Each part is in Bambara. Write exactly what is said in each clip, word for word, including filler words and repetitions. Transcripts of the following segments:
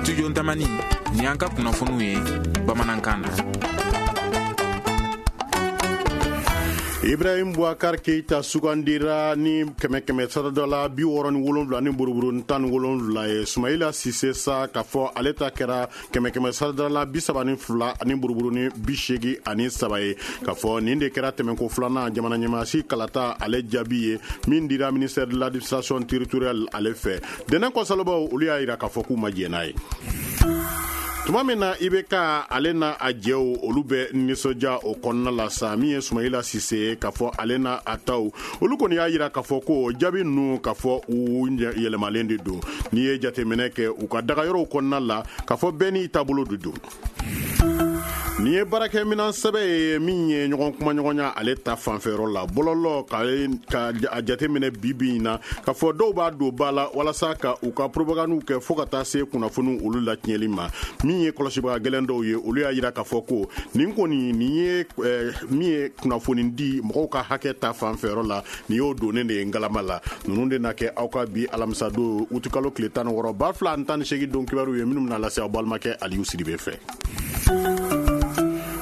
Studio Ntamani, ni an ka kunnafoniw ye bamanankan na. Ibrahim Boubacar Keita sugandira ni kɛmɛ kɛmɛ sarada la bi wɔɔrɔ ni wolonwula ni buruburu tan ni wolonwula ye. Sumayila Sise sa k'a fɔ ale ta kɛra kɛmɛ kɛmɛ sarada la bi saba ni fila ani buruburu ni bi seegin ani saba ye. K'a fɔ nin de kɛra tɛmɛnko filanan jamana ɲɛmaasi kalata ale jaabi ye min dira ministère de l'administration territoriale ale fɛ. Dɛnɛn kɔsalobaw olu y'a yira k'a fɔ k'u ma jɛn n'a ye. Tuma min na I B K ale n'a a jɛw olu bɛ nisɔndiya o kɔnɔna la sa, min ye Sumayila Sise ye k'a fɔ ale n'a a taw olu kɔni y'a yira k'a fɔ ko jaabi ninnu k'a fɔ u yɛlɛmalen de don. N'i ye jateminɛ kɛ u ka dagayɔrɔw kɔnɔna la k'a fɔ bɛɛ n'i taabolo de don. Nin ye baarakɛminɛn sɛbɛ ye min ye ɲɔgɔn kumaɲɔgɔnya ale ta fanfɛyɔrɔ la bɔlɔlɔ ka a jateminɛ bi bi in na k'a fɔ dɔw b'a don ba la walasa ka u ka propagandiw kɛ fo ka taa se kunnafoniw olu latiɲɛli ma. Min ye kɔlɔsibaga gɛlɛn dɔw ye olu y'a yira k'a fɔ ko nin kɔni nin ye min ye kunnafoni di mɔgɔw ka hakɛ ta fanfɛyɔrɔ la, nin y'o donnen de ye ngalama la. Ninnu de na kɛ aw ka bi alamisa don utikalo tile tan ni wɔɔrɔ ba fila ani tan ni seegin don kibaruw ye minnu bɛna lase aw balimakɛ Aliyu Sidibe fɛ.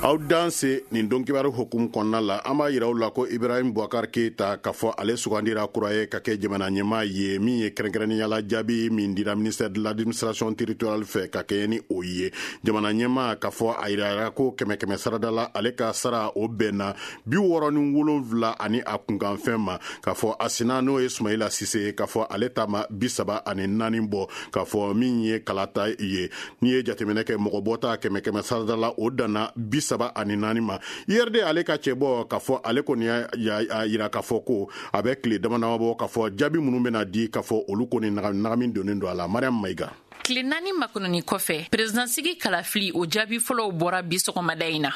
Aw danse nin don kibaru hukumu kɔnɔna la, an b'a yira aw la ko Ibrahim Boubacar Keita k'a fɔ ale sugandira kura ye ka kɛ jamana ɲɛmaa ye min ye kɛrɛnkɛrɛnnenya la jaabi min dira ministère de l'administration territoriale fɛ ka kɛɲɛ ni o ye. Jamana ɲɛmaa k'a fɔ a yirara ko kɛmɛ kɛmɛ sarada la ale ka sara o bɛnna bi wɔɔrɔ ni wolonwula ani a kunkanfɛn ma. K'a fɔ a sina n'o ye Sumayila Sise ye k'a fɔ ale ta ma bi saba ani naani bɔ. K'a fɔ min ye kalata ye, n'i ye jateminɛ kɛ mɔgɔ bɔta kɛmɛ kɛmɛ sarada la o danna bi saba ani naani ma. I R D ale ka cɛbɔ k'a fɔ ale kɔni y'a yira k'a fɔ ko a bɛ tile dama dama bɔ k'a fɔ jaabi minnu bɛna di k'a fɔ olu kɔni nagami donnen don a la. Mariam Mayiga. Tile naani makɔnɔni kɔfɛ, perezidansigi kalafili o jaabi fɔlɔw bɔra bi sɔgɔmada in na.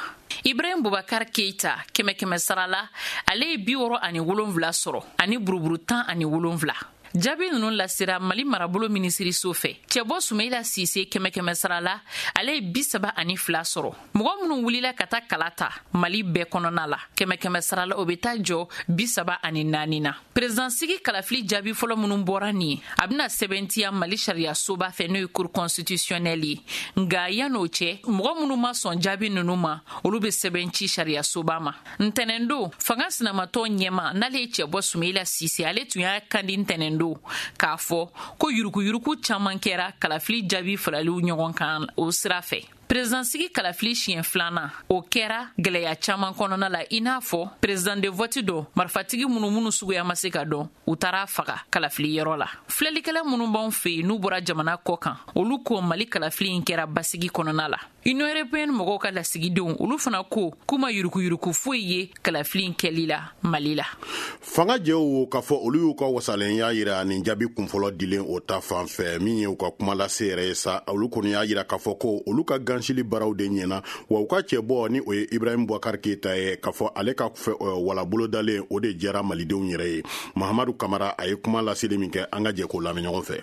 Ibrahim Boubacar Keita kɛmɛ kɛmɛ sara la ale ye bi wɔɔrɔ ani wolonwula sɔrɔ ani buruburu tan ani wolonwula. Jaabi ninnu lasera Mali marabolo minisiriso fɛ. Cɛbɔ Sumayila Sise kɛmɛ kɛmɛ sara la ale ye bi saba ani fila sɔrɔ. Mɔgɔ minnu wulila ka taa kala ta Mali bɛɛ kɔnɔna la kɛmɛ kɛmɛ sara la o bɛ taa jɔ bi saba ani naani na. Perezidansigi kalafili jaabi fɔlɔ minnu bɔra nin ye, a bɛna sɛbɛntiya Mali sariyasoba fɛ n'o ye cour constitutionnelle ye. Nka yan'o cɛ, mɔgɔ minnu ma sɔn jaabi ninnu ma olu bɛ sɛbɛn ci sariyasoba ma. Ntɛnɛndon, fanga sinamatɔn ɲɛma n'ale ye cɛbɔ Sumayila Sise, ale tun y'a kandi ntɛnɛn k'a fɔ ko yurukuyuruku caman kɛra kalafili jaabi faraliw ɲɔgɔn kan o sira fɛ. Perezidansigi kalafili siɲɛ filanan o kɛra gɛlɛya caman kɔnɔna la, i n'a fɔ perezidan de vote dɔ marifatigi minnu minnu suguya ma se ka dɔn u taara faga kalafili yɔrɔ la. Filɛlikɛla minnu b'anw fɛ yen n'u bɔra jamana kɔ kan, olu ko Mali kalafili in kɛra basigi kɔnɔna la. Union européenne mɔgɔw ka lasigidenw olu fana ko k'u ma yurukuyuruku foyi ye kalafili in kɛli la Mali la. Fanga jɛw k'a fɔ olu y'u ka wasalenya yira nin jaabi kunfɔlɔ dilen o ta fan fɛ. Min ye u ka kuma lase yɛrɛ ye sa, olu kɔni y'a yira k'a fɔ ko olu ka gansili baaraw de ɲɛna, wa u ka cɛbɔ ni o ye Ibrahim Boubacar Keita ye k'a fɔ ale ka wala bolodalen o de jɛra malidenw yɛrɛ ye. Mahamadu Kamara a ye kuma laseli min kɛ, an ka jɛ k'o lamɛn ɲɔgɔn fɛ.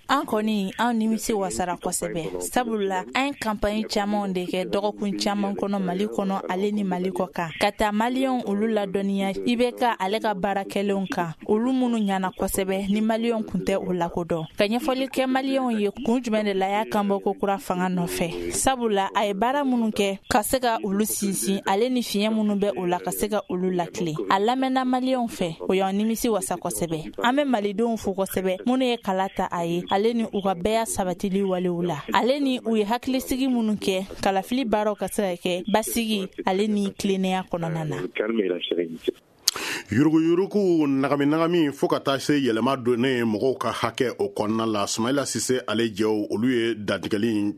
An kɔni an nimisi wasara kosɛbɛ, sabula an ye kanpaɲi camanw de kɛ dɔgɔkun caman kɔnɔ Mali kɔnɔ ale ni Mali kɔ kan, ka taa maliyɛnw olu ladɔnniya I B K ale ka baara kɛlenw kan, olu minnu ɲana kosɛbɛ ni maliyɛnw kun tɛ o lakodɔn, ka ɲɛfɔli kɛ maliyɛnw ye kun jumɛn de la y'a kan bɔ ko kura fanga nɔfɛ, sabula a ye baara minnu kɛ ka se ka olu sinsin ale ni fiɲɛ minnu bɛ o la ka se ka olu latilen. A lamɛnna maliyɛnw fɛ, o y'an nimisi wasa kosɛbɛ. An bɛ malidenw fo kosɛbɛ minnu ye kala ta a ye ale ni u ka bɛɛya sabatili walew la, ale ni u ye hakilisigi minnu kɛ kalafili baaraw ka se ka kɛ basigi ale ni tilennenya kɔnɔna na. Yuruguyurugu nagami nagami fo ka taa se yɛlɛma donnen mɔgɔw ka hakɛ o kɔnɔna la, Sumayila Sise ale jɛw olu ye dantigɛli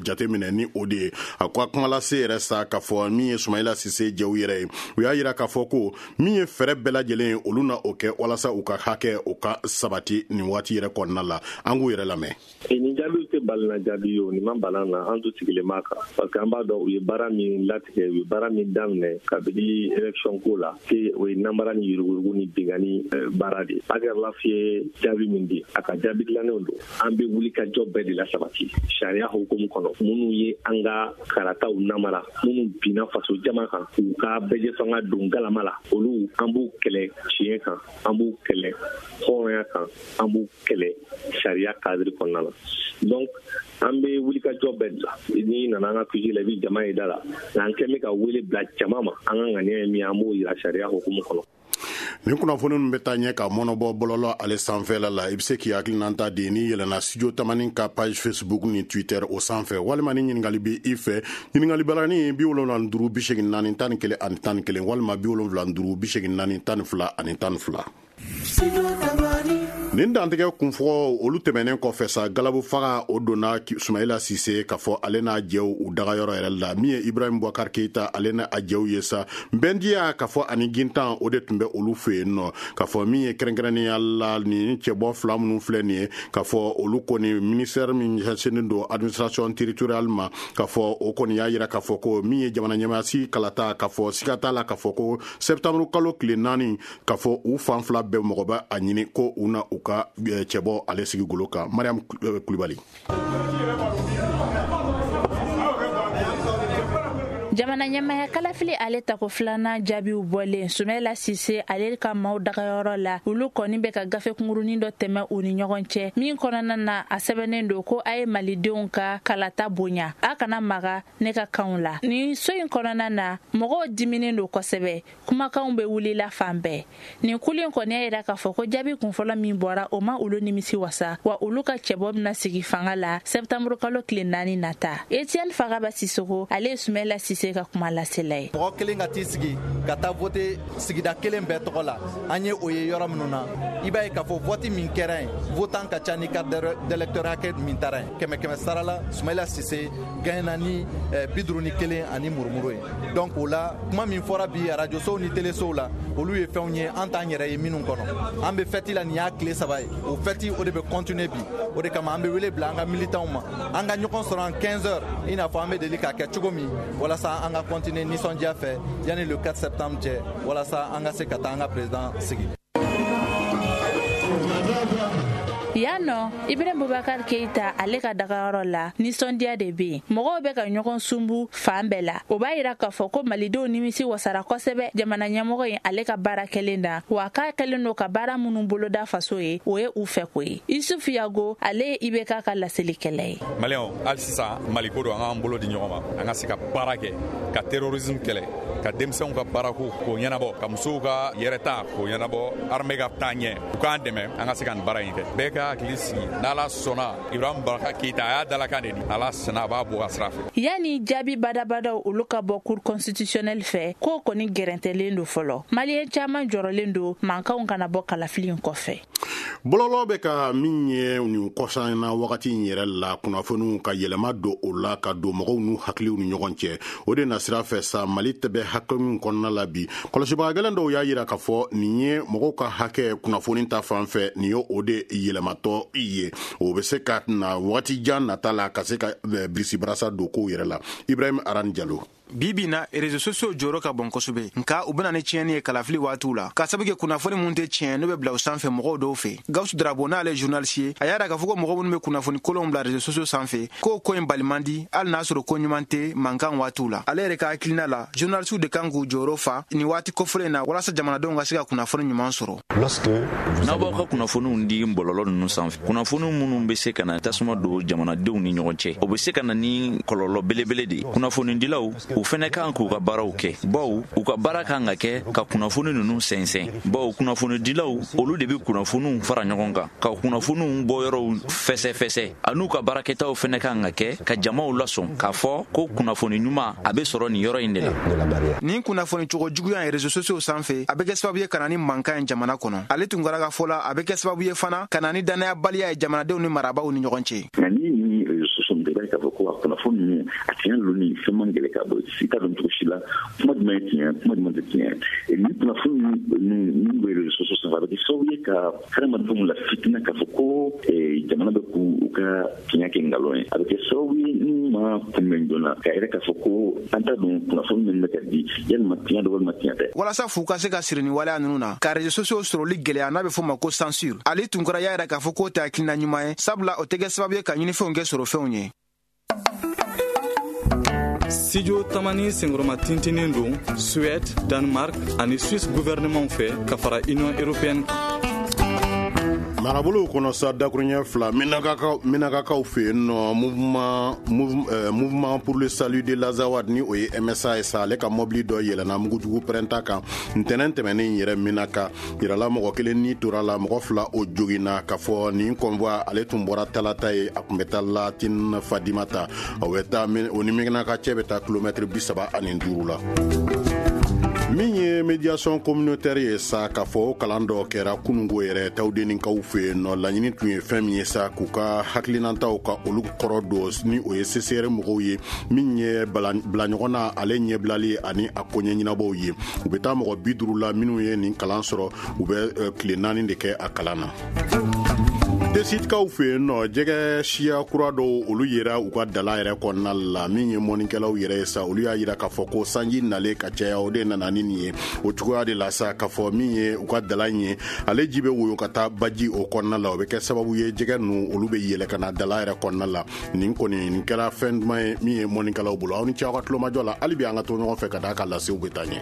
jateminɛ ni o de ye. A ko a kuma lase yɛrɛ sa k'a fɔ min ye Sumayila Sise jɛw yɛrɛ ye, u y'a yira k'a fɔ ko min ye fɛɛrɛ bɛɛ lajɛlen ye olu na o kɛ walasa u ka hakɛ o ka sabati nin waati yɛrɛ kɔnɔna la. An k'u yɛrɛ lamɛn. Nin jaabiw tɛ balina jaabi ye o, nin ma bala na, an tun sigilen b'a kan parce que an b'a dɔn u ye baara min latigɛ, u ye baara min daminɛ kabini élection ko la, o ye namara ni yuruguyurugu ni binkanni baara de ye. Agarlaf ye jaabi min di, a ka jaabi dilannenw don. An bɛ wuli ka jɔ bɛɛ de la sabati sariya hukumu kɔnɔ. Minnu ye an ka karataw namara, minnu binna faso jama kan k'u ka bɛɛjɛ fanga don galama la, olu an b'u kɛlɛ tiɲɛ kan, an b'u kɛlɛ hɔrɔnya kan, an b'u kɛlɛ sariya cadre kɔnɔna la. Donc an bɛ wuli ka jɔ bɛɛ de la. N'i nana an ka Q G la, i bɛ jama ye da la, nka an kɛn bɛ ka wele bila jama ma. An ka ŋaniya ye min ye, an b'o yira sariya hukumu kɔnɔ. Nin kunnafoni ninnu bɛ taa ɲɛ ka mɔnɔbɔ bɔlɔlɔ ale sanfɛla la. I bɛ se k'i hakilinata di n'i yɛlɛnna Studio Tamani ka page Facebook ni Twitter o sanfɛ, walima ni ɲininkali bɛ i fɛ, ɲininkali balani bi wolonwula ni duuru bi seegin naani tan ni kelen ani tan ni kelen, walima bi wolonwula ni duuru bi seegin naani tan ni fila ani tan ni fila. Nin dantigɛ kunfɔlɔ olu tɛmɛnen kɔfɛ sa, galabu faga o donna Sumayila Sise k'a fɔ ale n'a jɛw u dagayɔrɔ yɛrɛ la. Min ye Ibrahim Boubacar Keita ale n'a jɛw ye sa, Bɛndiya k'a fɔ ani Gintan o de tun bɛ olu fɛ yen nɔ. K'a fɔ min ye kɛrɛnkɛrɛnnenya la nin cɛbɔ fila minnu filɛ nin ye, k'a fɔ olu kɔni ministère min ɲɛsinnen don administration territoriale ma, k'a fɔ o kɔni y'a yira k'a fɔ ko min ye jamana ɲɛmaasi kalata, k'a fɔ siga t'a la k'a fɔ ko septembre kalo tile naani, k'a fɔ u fan fila bɛɛ mɔgɔ bɛ a ɲini ko u na u ka cɛbɔ ale sigi golo kan. Mariam Kulibali. Jamana ɲɛmaya kalafili ale tako filanan jaabiw bɔlen, Sumayila Sise ale ka maaw dagayɔrɔ la, olu kɔni bɛ ka gafe kunkurunin dɔ tɛmɛ u ni ɲɔgɔn cɛ, min kɔnɔna na a sɛbɛnnen don ko a ye malidenw ka kalata bonya, a kana maga ne ka kanw la. Nin so in kɔnɔna na, mɔgɔw diminen don kosɛbɛ, kumakanw bɛ wulila fan bɛɛ. Nin kulu in kɔni y'a yira k'a fɔ ko jaabi kunfɔlɔ min bɔra, o ma olu nimisi wasa, wa olu ka cɛbɔ bɛna sigi fanga la septembre kalo tile naani nata. Etienne Fagaba Sisoko, ale ye Sumayila Sise ka kuma lasela ye. Mɔgɔ kelen ka t'i sigi ka taa vote sigida kelen bɛɛ tɔgɔ la, an ye o ye yɔrɔ minnu na, i b'a ye k'a fɔ vote min kɛra yen, votant ka ca ni carte d'électeur hakɛ min taara yen. Kɛmɛ kɛmɛ sara la, Sumayila Sise gagnera ni bi duuru ni kelen ani murumuru ye. Donc o la, kuma min fɔra bi arajosow ni telesow la, olu ye fɛnw ye an t'an yɛrɛ ye minnu kɔnɔ. An bɛ fɛti la, nin y'a tile saba ye, o fɛti o de bɛ continuer bi. O de kama an bɛ wele bila an ka militants ma, an ka ɲɔgɔn sɔrɔ en quinze heures, i n'a fɔ an bɛ deli k'a kɛ cogo min, walasa an ka continuer nisɔndiya fɛ yanni le quatre septembre cɛ, walasa an ka se ka taa an ka président sigi. Yan nɔ, Ibrahim Boubacar Keita ale ka dagayɔrɔ la, nisɔndiya de bɛ yen. Mɔgɔw bɛ ka ɲɔgɔn sunbu fan bɛɛ la. O b'a yira k'a fɔ ko malidenw nimisi wasara kosɛbɛ jamana ɲɛmɔgɔ in ale ka baara kɛlen na, wa k'a kɛlen don ka baara minnu boloda faso ye, o ye u fɛ ko ye. Isuf Yago, ale ye I B K ka laselikɛla ye. Maliyɛnw, hali sisan Maliko don, an k'an bolo di ɲɔgɔn ma, an ka se ka baara kɛ, ka terrorisme kɛlɛ, ka denmisɛnw ka baarako k'o ɲɛnabɔ, ka musow ka yɛrɛta k'o ɲɛnabɔ, armée ka taa ɲɛ, u k'an dɛmɛ an ka se ka nin baara in kɛ. Bɛɛ ka hakili sigi, n'Ala sɔnna, Ibrahim Boubacar Keita a y'a dalakan de di, Ala sɔnna a b'a bɔ a sira fɛ. Yanni jaabi badabadaw olu ka bɔ cour constitutionnelle fɛ, k'o kɔni gɛrɛntɛlen don fɔlɔ. Maliyɛn caman jɔrɔlen don mankanw kana bɔ kalafili in kɔfɛ. Bɔlɔlɔ bɛ ka min ye nin kɔsan na wagati in yɛrɛ la, kunnafoniw ka yɛlɛma don o la ka don mɔgɔw n'u hakiliw ni ɲɔgɔn cɛ, o de na sira fɛ sa Mali tɛ bɛ hakɛ min kɔnɔna la bi. Kɔlɔsibaga gɛlɛn dɔw y'a yira k'a fɔ nin ye mɔgɔw ka hakɛ kunnafoni ta fan fɛ, nin ye o de yɛlɛmatɔ ye, o bɛ se ka na wagati jan nata la ka se ka birisibarasa don kow yɛrɛ la. Ibrahim Aran Jalo. Bi bi na réseaux sociaux jɔyɔrɔ ka bon kosɛbɛ, nka u bɛna ni tiɲɛni ye kalafili waatiw la, k'a sabu kɛ kunnafoni mun tɛ tiɲɛ n'o bɛ bila u sanfɛ mɔgɔw dɔw fɛ. Gawusu Darabo n'ale journaliste ye, a y'a yira k'a fɔ ko mɔgɔ minnu bɛ kunnafoni kolonw bila réseaux sociaux sanfɛ, k'o ko in bali man di, hali n'a sɔrɔ ko ɲuman tɛ mankan waatiw la. Ale yɛrɛ ka hakilina la, journaliste de kan k'u jɔyɔrɔ fa nin waati kofɔlen in na, walasa jamanadenw ka se ka kunnafoni ɲuman sɔrɔ. N'aw b'aw ka kunnafoniw di bɔlɔlɔ ninnu sanfɛ, kunnafoni minnu bɛ se ka na tasuma don jamanadenw ni ɲɔgɔn cɛ, o bɛ se ka na ni kɔlɔlɔ belebele de ye. Kunnafonidilaw u fɛnɛ kan k'u ka baaraw kɛ, bawo u ka baara kan ka kɛ ka kunnafoni ninnu sɛnsɛn, bawo kunnafonidilaw olu de bɛ kunnafoniw fara ɲɔgɔn kan, ka kunnafoniw bɔyɔrɔw fɛsɛfɛsɛ, an'u ka baarakɛtaw fɛnɛ kan ka kɛ ka jamaw lasɔn k'a fɔ ko kunnafoni ɲuman a bɛ sɔrɔ nin yɔrɔ in de la. Nin kunnafoni cogo juguya ye réseaux sociaux sanfɛ, a bɛ kɛ sababu ye ka na ni mankan ye jamana kɔnɔ. Ale tun kɛra ka fɔ la, a bɛ kɛ sababu ye fana ka na ni danayabaliya ye jamanadenw ni marabaaw ni ɲɔgɔn cɛ. Nka ni ni réseaux sociaux i b'a ye k'a fɔ ko a kunnafoni ninnu a tiɲɛ lonni fɛn man gɛlɛn ka bɔ i t'a dɔn cogo si la kuma jumɛn ye tiɲɛ, kuma jumɛn tɛ tiɲɛ. Ni kunnafoni ninnu bɛ réseaux sociaux sanfɛ, a bɛ kɛ sababu ye ka hadamadenw la fitina k'a fɔ ko jamana bɛ k'u ka tiɲɛ kɛ nkalon ye. A bɛ kɛ sababu ye ni ma kunbɛn joona k'a yɛrɛ k'a fɔ ko an t'a dɔn kunnafoni min bɛ ka di, yalima tiɲɛ don walima tiɲɛ tɛ. Walasa fu ka se ka siri ni waleya ninnu na, ka réseaux sociaux sɔrɔli gɛlɛya n'a bɛ fɔ ma ko censure, Ali Tunkara y'a yira k'a fɔ k'o tɛ hakilina ɲuman ye, sabula o tɛ kɛ sababu ye ka ɲinifɛnw kɛ sɔrɔfɛnw ye. Studio Tamani senkɔrɔma tintinin don Suède, Danemark ani Suisse gouvernement fɛ ka fara Union européenne kan. Marabolow kɔnɔ sa, dakuruɲɛ fila, Menakakaw Menakakaw fɛ yen nɔ, mouvement mouvement pour le salut de l'Azawad, ni o ye M S A ye sa, ale ka mɔbili dɔ yɛlɛnna mugujugu pɛrɛnta kan ntɛnɛn tɛmɛnen yɛrɛ Menaka. Yirala mɔgɔ kelen ni tora la, mɔgɔ fila o joginna. K'a fɔ nin convoi, ale tun bɔra Talata ye, a tun bɛ taa Latin Fadimata, o bɛ taa o ni Menaka cɛ bɛ taa kilomɛtiri bi saba ani duuru la. Min ye médiation communautaire ye sa, k'a fɔ o kalan dɔ kɛra kunungo yɛrɛ Tawudenikaw fɛ yen nɔ. Laɲini tun ye fɛn min ye sa, k'u ka hakilinataw ka olu kɔrɔ don, ni o ye C C R mɔgɔw ye, min ye bila ɲɔgɔn na, ale ɲɛbilali ani a koɲɛ ɲɛnabɔw ye. U bɛ taa mɔgɔ bi duuru la minnu ye nin kalan sɔrɔ. U bɛ tile naani de kɛ a kalan na. Tesitikaw fɛ yen nɔ, jɛgɛ siya kura dɔw, olu yera u ka dala yɛrɛ kɔnɔna la. Min ye mɔnikɛlaw yɛrɛ ye sa, olu y'a yira k'a fɔ ko sanji nalen ka caya, o de nana ni nin ye. O cogoya de la sa, k'a fɔ min ye u ka dala in ye, ale ji bɛ woyo ka taa baji o kɔnɔna la, o bɛ kɛ sababu ye jɛgɛ ninnu, olu bɛ yɛlɛ ka na dala yɛrɛ kɔnɔna la. Nin kɔni, nin kɛra fɛn duman ye min ye mɔnikɛlaw bolo. Aw ni ce aw ka tulomajɔ la. Hali bi an ka to ɲɔgɔn fɛ ka d'a ka lasew bɛ taa ɲɛ.